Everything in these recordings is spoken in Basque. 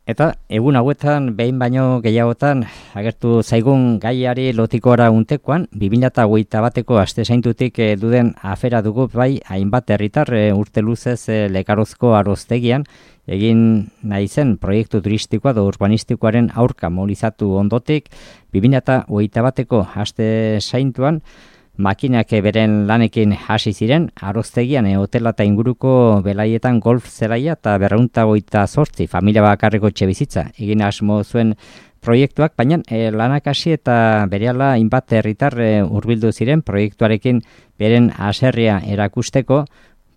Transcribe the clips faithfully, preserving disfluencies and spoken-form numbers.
Eta egun hauetan behin baino gehiagotan agertu zaigun gaiari lotikora untekoan, bi mila hogeita bateko aste zaintutik e, duden afera dugu bai hainbat herritar e, urte luzez e, Lekarozko aroztegian egin nahi zen proiektu turistikoa edo urbanistikoaren aurka mobilizatu ondotik, bi mila hogeita bateko aste zaintuan makinak beren lanekin hasi ziren, aroztegian e, hotela eta inguruko belaietan golf zelaia eta berreunta goita zortzi familia bakarreko etxebizitza egin asmo zuen proiektuak, baina e, lanak hasi eta berehala hainbat herritar e, hurbildu ziren proiektuarekin beren haserrea erakusteko.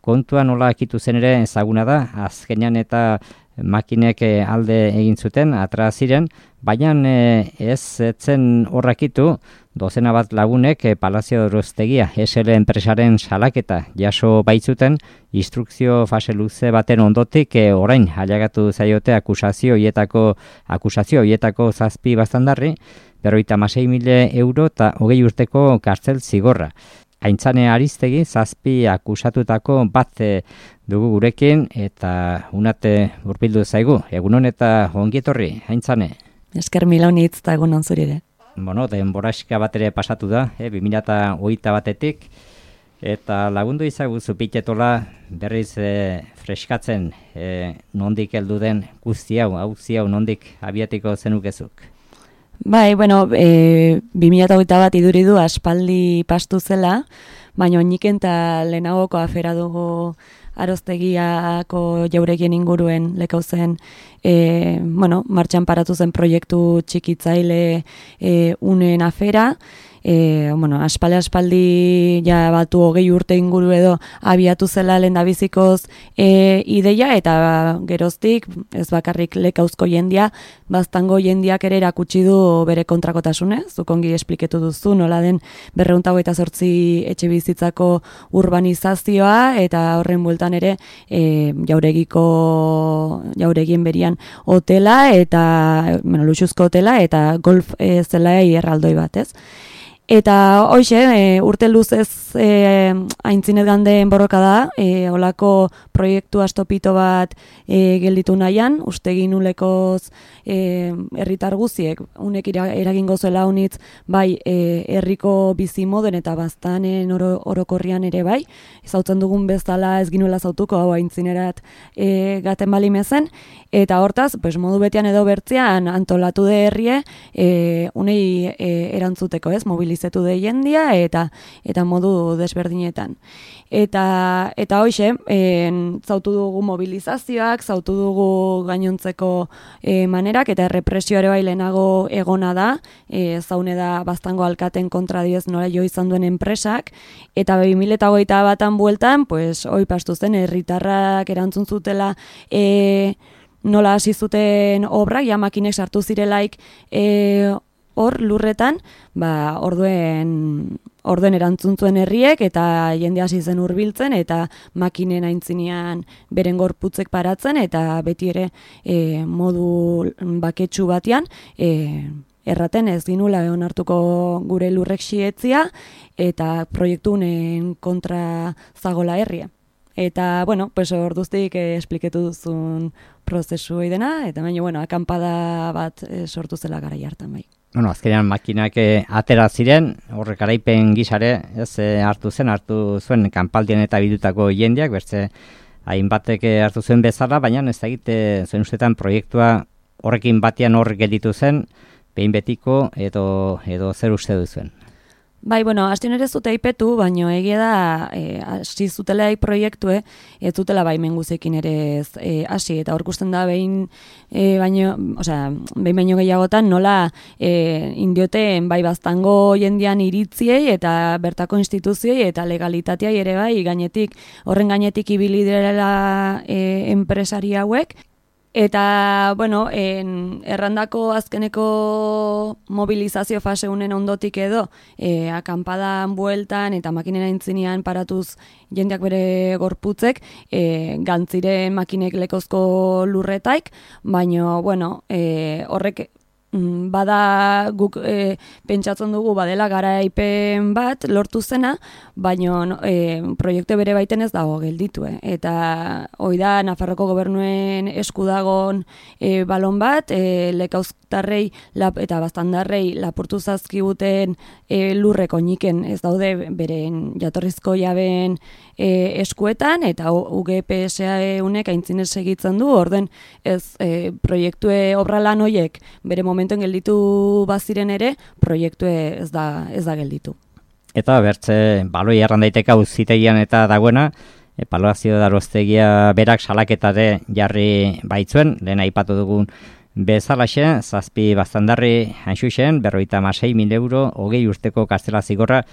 Kontua nola akitu zen ere ezaguna da, azkenean eta makinek alde egin zuten, atra ziren, baina e, ez zen horrakitu, dozena bat lagunek e, Palazio Aroztegia S L enpresaren salaketa jaso baitzuten, instrukzio fase luze baten ondotik e, orain hailegatu zaiote akusazio hietako akusazio hietako zazpi baztandarri, berrogeita hamasei mila euro eta hogei urteko kartzel zigorra. Aintzane Aristegi zazpi akusatutako bat e, dugu gurekin eta unate hurbildu zaigu. Egunon eta ongi etorri, Aintzane. Esker mila honitz eta egunon zuri ere. Bueno, denboraxka bat ere pasatu da, e, bi mila hogeita batetik, eta lagundu izaguzu pitetola berriz e, freskatzen e, nondik heldu den guzti hau, auzi hau nondik abiatiko zenukezuk. Bai, bueno, e, bi mila hogeita bat iduri du aspaldi pastu zela, baina oiniken eta lehenagoko afera dugu aroztegiako jauregien inguruen lekauzen, e, bueno, martxan paratu zen proiektu txikitzaile e, unen afera, E, bueno, aspaldi aspaldi ja batu hogei urte inguru edo abiatu zela lehendabizikoz e, ideia eta geroztik ez bakarrik Lekauzko jendia, baztango jendiak ere erakutsi du bere kontrakotasune, zuk ongi espliketu duzu nola den berrehun eta hogeita zortzi etxe bizitzako urbanizazioa eta horren bueltan ere e, jauregiko jauregien berian hotela eta bueno, luxuzko hotela eta golf e, zelai erraldoi bat, ez? Eta hoxe, e, urte luzez e, aintzinet gandeen borroka da, e, olako proiektu astopito bat e, gelditu nahian, uste ginulekoz e, herritar guziek, unek eragingo zela unitz, bai, e, herriko bizi moden eta baztanen oro, orokorrian ere bai, zautzen dugun bezala ez ginuela zautuko, hau aintzinerat e, gaten balimezen, eta hortaz, pues, modu betian edo bertzean antolatu de herrie, e, unei e, erantzuteko, ez, mobilizetu de jendia eta eta modu desberdinetan. Eta eta hoixe, en, zautu dugu mobilizazioak, zautu dugu gainontzeko e, manerak eta errepresio ere bai lehenago egona da, e, zaune da baztango alkaten kontra dioz nola jo izan duen enpresak, eta bi mila hogeita batan bueltan, pues, hoi pastu zen, herritarrak erantzun zutela e, nola hasi zuten obrak, ja makinek sartu zirelaik e, hor lurretan, ba, orduen, orduen erantzun zuen herriek eta jende hasi zen hurbiltzen eta makinen aintzinean beren gorputzek paratzen eta beti ere e, modu baketsu batean e, erraten ez ginula onartuko gure lurrek xietzia eta proiektunen kontra zagola herria. Eta, bueno, pues orduztik eh, espliketu duzun prozesu dena, eta baina, bueno, akampada bat eh, sortu zela garai hartan bai. Bueno, azkenean makinak eh, atera ziren, horrek garaipen gizare, ez eh, hartu zen, hartu zuen kanpaldien eta bidutako jendeak, bertze hainbatek eh, hartu zuen bezala, baina ez da egite zuen ustetan proiektua horrekin batean hor gelditu zen, behin betiko edo, edo zer uste duzuen. Bai, bueno, hasti ere zute aipetu, baino egia da e, hasi zutela proiektue, ez zutela baimen guzekin ere ez e, hasi eta hor ikusten da behin e, baino, osea, behin baino gehiagotan nola e, indioten bai baztango jendian iritziei eta bertako instituzioi eta legalitateai ere bai gainetik, horren gainetik ibili direla e, enpresari hauek. Eta, bueno, en, errandako azkeneko mobilizazio fase unen ondotik edo, e, akampadan bueltan eta makinen aintzinean paratuz jendeak bere gorputzek, e, gantziren makinek lekozko lurretaik, baina, bueno, e, horrek bada guk e, pentsatzen dugu badela garaipen bat lortu zena, baina e, proiektu bere baiten ez dago gelditu. Eh? Eta hoi da Nafarroko gobernuen esku dagon e, balon bat, e, lekauztarrei lap, eta bastandarrei lapurtu zazkiguten e, lurreko niken ez daude beren jatorrizko jaben e, eskuetan, eta U G P S A unek aintzinez segitzen du, orden ez e, proiektue obralan hoiek bere momentuen gelditu baziren ere, proiektue ez da, ez da gelditu. Eta bertze, baloi erran daiteka auzitegian eta dagoena, epaluazio daroztegia berak salaketare jarri baitzuen, lehen aipatu dugun bezalaxe, zazpi bastandarri hainxuxen, berroita masei mil euro, hogei urteko kastela zigorra,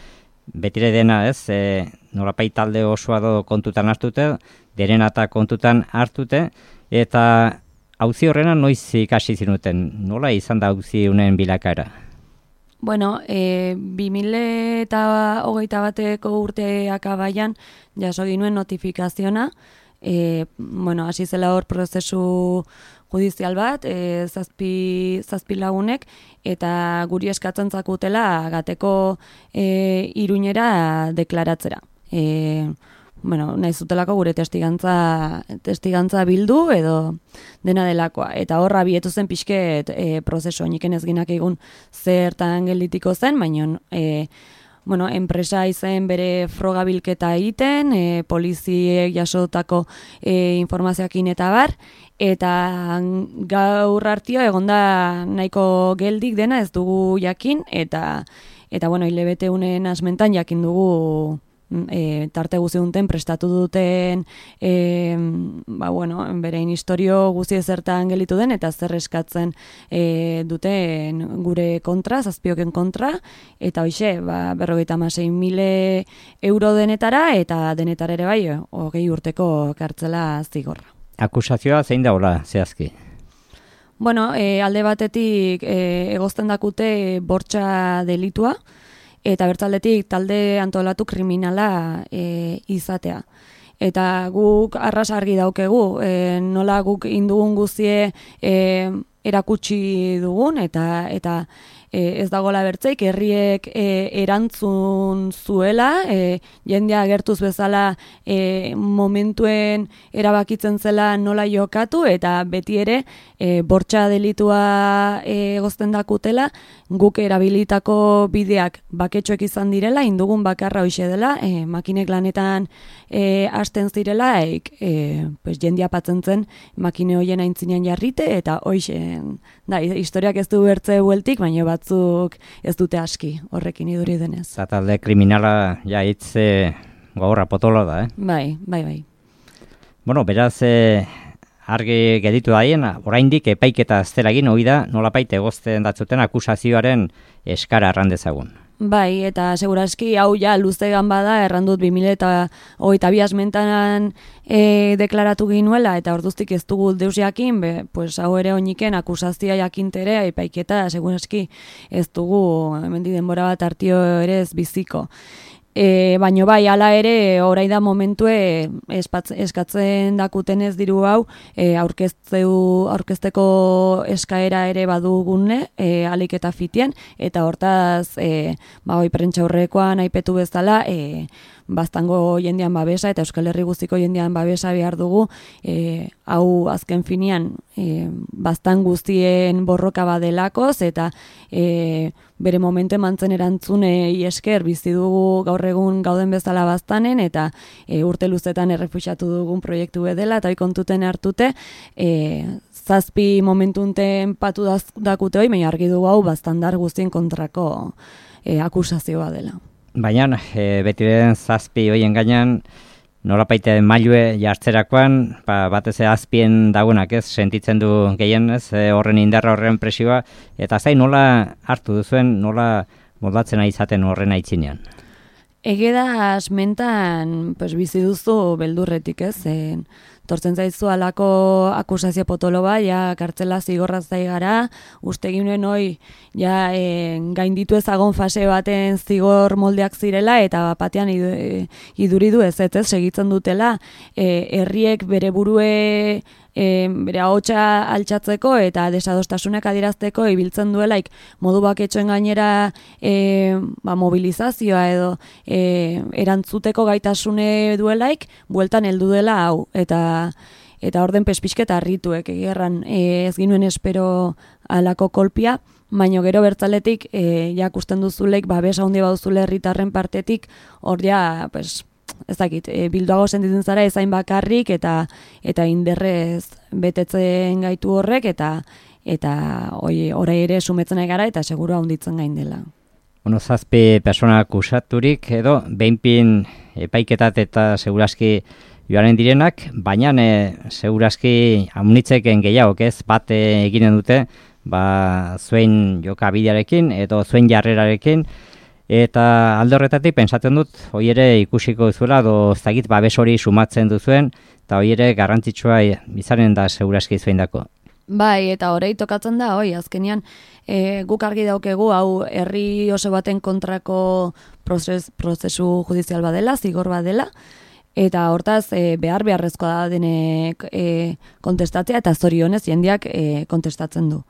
betire dena ez, e, nolapait talde osoa do kontutan hartute, derena eta kontutan hartute, eta auzi horrena noiz ikasi zinuten, nola izan da auzi unen bilakaera? Bueno, e, bi mila hogeita bateko urteak abaian jaso ginuen notifikaziona, e, bueno, hasi zela hor prozesu judizial bat, e, zazpi, zazpi lagunek, eta guri eskatzen zakutela gateko e, Iruñera deklaratzera. E, bueno, nahi zutelako gure testigantza, testigantza bildu edo dena delakoa. Eta horra bietu zen pixket e, prozesu, niken ez ginak egun zertan gelditiko zen, baina e, bueno, enpresa izen bere frogabilketa egiten, e, poliziek jasotako e, informazioakin eta bar, eta gaur hartio egonda nahiko geldik dena ez dugu jakin, eta, eta bueno, hilabete unen asmentan jakin dugu E, tarte guzi duten prestatu duten e, ba, bueno, berein historio guzi ezertan gelitu den eta zer eskatzen e, duten gure kontra, zazpioken kontra, eta hoxe, ba, berrogeita hamasei mila euro denetara eta denetara ere bai, hogei urteko kartzela zigorra. Akusazioa zein da hola, zehazki? Bueno, e, alde batetik e, egozten dakute bortxa delitua, eta bertzaldetik talde antolatu kriminala e, izatea. Eta guk arras argi daukegu, e, nola guk indugun guzie e, erakutsi dugun, eta eta e, ez dagoela bertzeik, herriek e, erantzun zuela, e, jendea agertuz bezala e, momentuen erabakitzen zela nola jokatu, eta beti ere e, bortxa delitua e, egozten dakutela, guk erabilitako bideak baketxoek izan direla, indugun bakarra hoxe dela, e, makinek lanetan e, hasten zirela, eik, e, pues, jendia patzen zen makine hoien aintzinean jarrite, eta hoxe, da, historiak ez du bertze bueltik, baina batzuk ez dute aski horrekin iduri denez. Eta talde kriminala ja hitz e, gogorra potolo da, eh? Bai, bai, bai. Bueno, beraz, e, argi geditu daien, oraindik epaiketa azteragin hori da, nolapait egozten datzuten akusazioaren eskara errandezagun. Bai, eta seguraski hau ja luzegan bada, errandut bi mila hogeita bi asmentanan e, deklaratu ginuela, eta orduztik ez dugu deus jakin, be, pues, hau ere oiniken akusazioa jakintere, epaiketa seguraski ez dugu, hemendik denbora bat hartio ere ez biziko. E, baino bai, hala ere, orain da momentue espatz, eskatzen dakuten ez diru hau, e, aurkezteu, aurkezteko eskaera ere badugune, e, alik eta fitien, eta hortaz, e, ba, oi, prentsa aurrekoan aipetu bezala, e, baztango jendean babesa eta Euskal Herri guztiko jendean babesa behar dugu, e, hau azken finean e, baztan guztien borroka badelakoz, eta e, bere momentu emantzen erantzunei esker bizi dugu gaur egun gauden bezala baztanen, eta e, urte luzetan errefuxatu dugun proiektu bedela, eta hoi kontuten hartute, e, zazpi momentunten patu dakute hoi, baina argi dugu hau baztandar guztien kontrako e, akusazioa dela. Baina, e, beti den zazpi hoien gainean, nolapaite mailue jartzerakoan, ba, batez azpien dagoenak ez, sentitzen du gehien ez, e, horren indarra horren presioa, eta zain nola hartu duzuen, nola moldatzen ari izaten horren aitzinean? Ege da asmentan pues, bizi duzu beldurretik ez, e, tortzen zaizu alako akusazio potolo bat, ja kartzela zigorra zai gara, uste ginuen hoi ja e, gainditu ezagon fase baten zigor moldeak zirela, eta batean iduridu ez ez, ez segitzen dutela, e, herriek bere burue E, bere ahotsa altxatzeko eta desadostasunak adierazteko ibiltzen duelaik modu baketxoen gainera e, ba, mobilizazioa edo e, erantzuteko gaitasune duelaik bueltan heldu dela hau eta eta orden pespisketa harrituek egerran e, ez ginuen espero alako kolpia, baino gero bertzaletik e, jakusten duzuleik babes handi bauzule herritarren partetik hor ja pues ez dakit, e, bilduago sentitzen zara ezain bakarrik eta eta inderrez betetzen gaitu horrek eta eta hori orai ere sumetzen ari gara eta seguru handitzen gain dela. Bueno, zazpi persona akusaturik edo behinpin epaiketat eta segurazki joaren direnak, baina e, segurazki amunitzeken gehiago, ez bat e, eginen dute, ba zuen jokabidearekin edo zuen jarrerarekin. Eta alde horretatik pensatzen dut, hoi ere ikusiko duzuela, do zagit babes hori sumatzen duzuen, eta hoi ere garrantzitsua izanen da segurazki zuen dako. Bai, eta horrei tokatzen da, hoi, azkenean e, guk argi daukegu, hau herri oso baten kontrako prozes, prozesu judizial badela, zigor badela, eta hortaz e, behar beharrezkoa da denek e, kontestatzea eta zorionez jendeak e, kontestatzen du.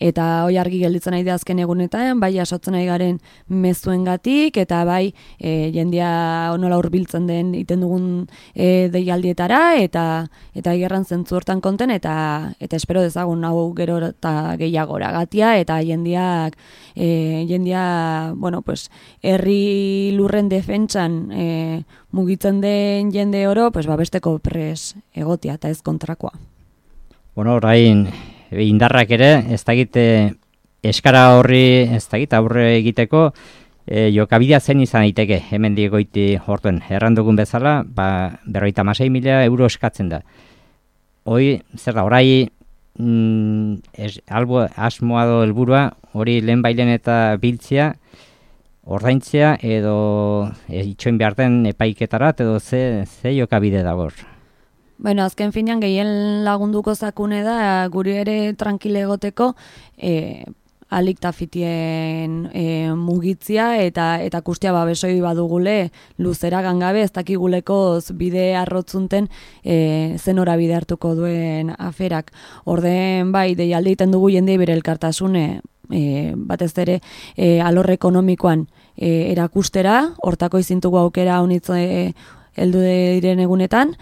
Eta hoi argi gelditzen nahi da azken egunetan, bai jasotzen nahi garen mezuengatik eta bai e, jendea nola hurbiltzen den iten dugun e, deialdietara eta eta gerran zentzu hortan konten eta eta espero dezagun hau gero eta gehiagora gatia eta jendeak e, jendea, bueno, pues herri lurren defentsan e, mugitzen den jende oro, pues babesteko pres egotia eta ez kontrakoa. Bueno, orain indarrak ere, ez dakit eskara horri, ez dakit aurre egiteko, e, jokabidea zen izan daiteke hemen diegoiti hortuen. Errandugun bezala, ba, berroita masei mila euro eskatzen da. Hoi, zer da, orai mm, es, albo, asmoa do helburua, hori lehen bailen eta biltzea, ordaintzea edo e, itxoin behar den epaiketarat edo ze, ze jokabide dagor. Bueno, azken finean gehien lagunduko zakune da guri ere tranquile egoteko e, alik tafitien e, mugitzia eta eta kustia babesoi badugule luzera gangabe ez dakigulekoz bide arrotzunten e, zenora bide hartuko duen aferak. Orden bai, deialde egiten dugu jendei bere elkartasune e, batez ere e, alor ekonomikoan e, erakustera, hortako izintugu aukera honitz e, heldu diren egunetan,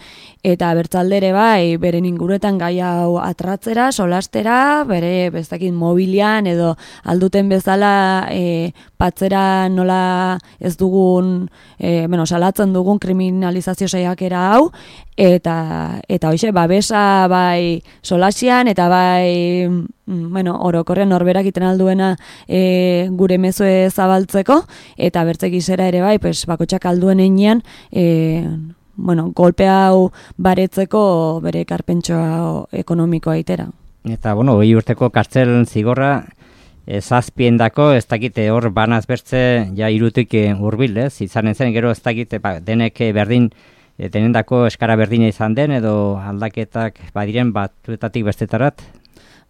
eta bertzaldere bai, beren inguruetan gai hau atratzera, solastera, bere bezakit mobilian edo alduten bezala e, patzera nola ez dugun, e, bueno, salatzen dugun kriminalizazio saiakera hau, eta eta hoize babesa bai solasian eta bai bueno, orokorrean norberak iten alduena e, gure mezue zabaltzeko, eta bertzekizera ere bai, pues, bakotxak alduen einean, e, bueno, golpe hau baretzeko bere karpentsoa ekonomikoa itera. Eta, bueno, hori urteko kartzel zigorra, zazpiendako, ez dakite hor banaz bertze, ja irutik hurbil, ez? Izanen zen, gero ez dakite, ba, denek berdin, denendako eskara berdina izan den, edo aldaketak badiren batuetatik bestetarat?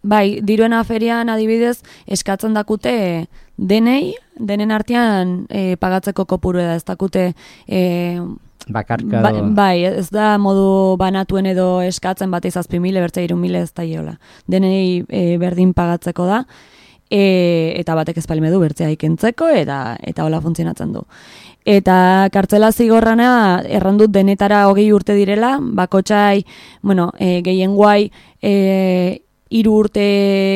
Bai, diruen aferian adibidez eskatzen dakute denei, denen artean e, pagatzeko kopuru da, ez dakute e, bakarka ba, do... bai, ez da modu banatuen edo eskatzen bat izazpi mile, bertza iru mile ez da iola. Denei e, berdin pagatzeko da, e, eta batek ezpalime du bertzea ikentzeko, eta eta hola funtzionatzen du. Eta kartzela zigorrana errandut denetara hogei urte direla, bakotxai, bueno, e, gehien guai, e, hiru urte,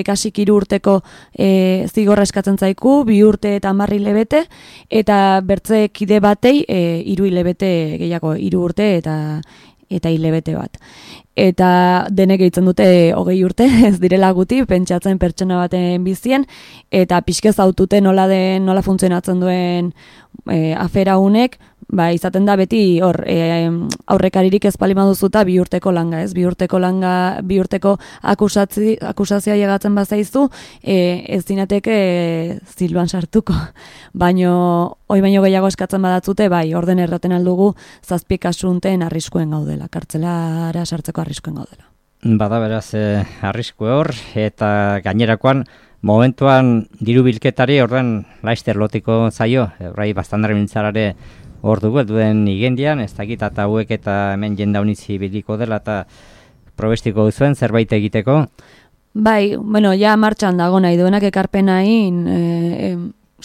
kasik hiru urteko e, zigorra eskatzen zaiku, bi urte eta hamar hilabete, eta bertze kide batei e, hiru hilabete gehiago, hiru urte eta eta hilabete bat. Eta denek egiten dute hogei urte, ez direla guti, pentsatzen pertsona baten bizien, eta pixkez autute nola den, nola funtzionatzen duen e, afera unek, ba, izaten da beti hor e, aurrekaririk ez palima duzuta bi urteko langa, ez? Bi urteko langa, bi urteko akusatzi, akusazioa llegatzen bazaizu, e, ez dinateke e, ziluan sartuko. Baino, hoi baino gehiago eskatzen badatzute, bai, orden erraten aldugu zazpi kasunten arriskuen gaudela, kartzelara sartzeko arriskuen gaudela. Bada beraz, eh, arrisku hor, eta gainerakoan, momentuan diru bilketari horren laister lotiko zaio, horrai bastandarri mintzarare hor dugu, duen igendian, ez dakit eta hauek eta hemen jenda unitzi biliko dela eta probestiko duzuen zerbait egiteko? Bai, bueno, ja martxan dago nahi duenak ekarpenain e, e,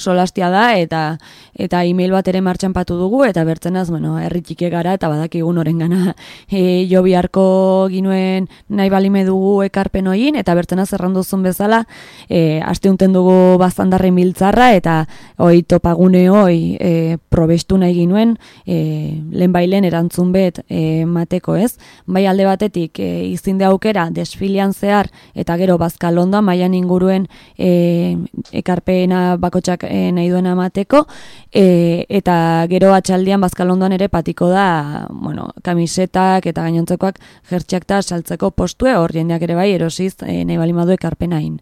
solastia da eta eta email bat ere martxan patu dugu eta bertzenaz, bueno, herri txiki gara eta badakigun orengana e, jo biharko ginuen nahi balime dugu ekarpen hoin eta bertzenaz erranduzun bezala e, asteunten dugu baztandarren biltzarra eta hoi topagune hoi e, probestu nahi ginuen e, lehen bailen erantzun bet e, mateko, ez? Bai alde batetik e, izinde aukera desfilian zehar eta gero Bazkalondoan mailan inguruen e, ekarpena bakotxak e, nahi duena mateko e, eta gero atxaldian Bazkalondoan ere patiko da, bueno, kamisetak eta gainontzekoak jertxeak eta saltzeko postue hor jendeak ere bai erosiz e, nahi balimadu ekarpenain.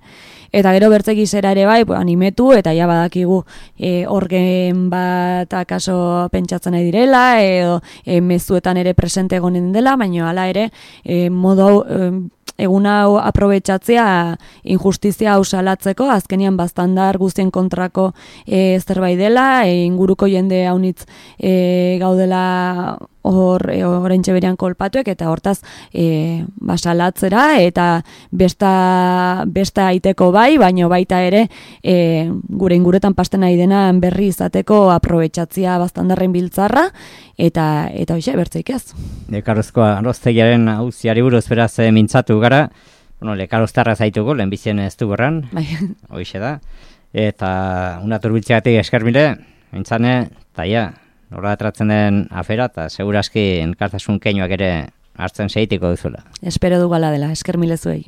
Eta gero bertze gizera ere bai, animetu eta ja badakigu e, orgen bat akaso pentsatzen nahi direla edo e, mezuetan ere presente egonen dela, baina hala ere e, modu hau e, egun hau aprobetxatzea injustizia hau salatzeko, azkenian baztandar guztien kontrako e, zerbait dela, e, inguruko jende haunitz e, gaudela hor e, oraintxe berean kolpatuek eta hortaz e, basalatzera eta besta, besta aiteko bai, baino baita ere e, gure inguretan pasten nahi dena berri izateko aprobetxatzia baztandarren biltzarra eta eta hoxe bertzeik ez. Lekarozko aroztegiaren auziari buruz beraz e, mintzatu gara, bueno, lekaroztarra zaitugu, lehenbizien ez du borran, bai. Hoxe da, eta una turbiltzegatik eskermile, mintzane, eta ja, nora atratzen den afera, eta seguraski enkartasun keinuak ere hartzen segitiko duzula. Espero du gala dela, eskermile zuei.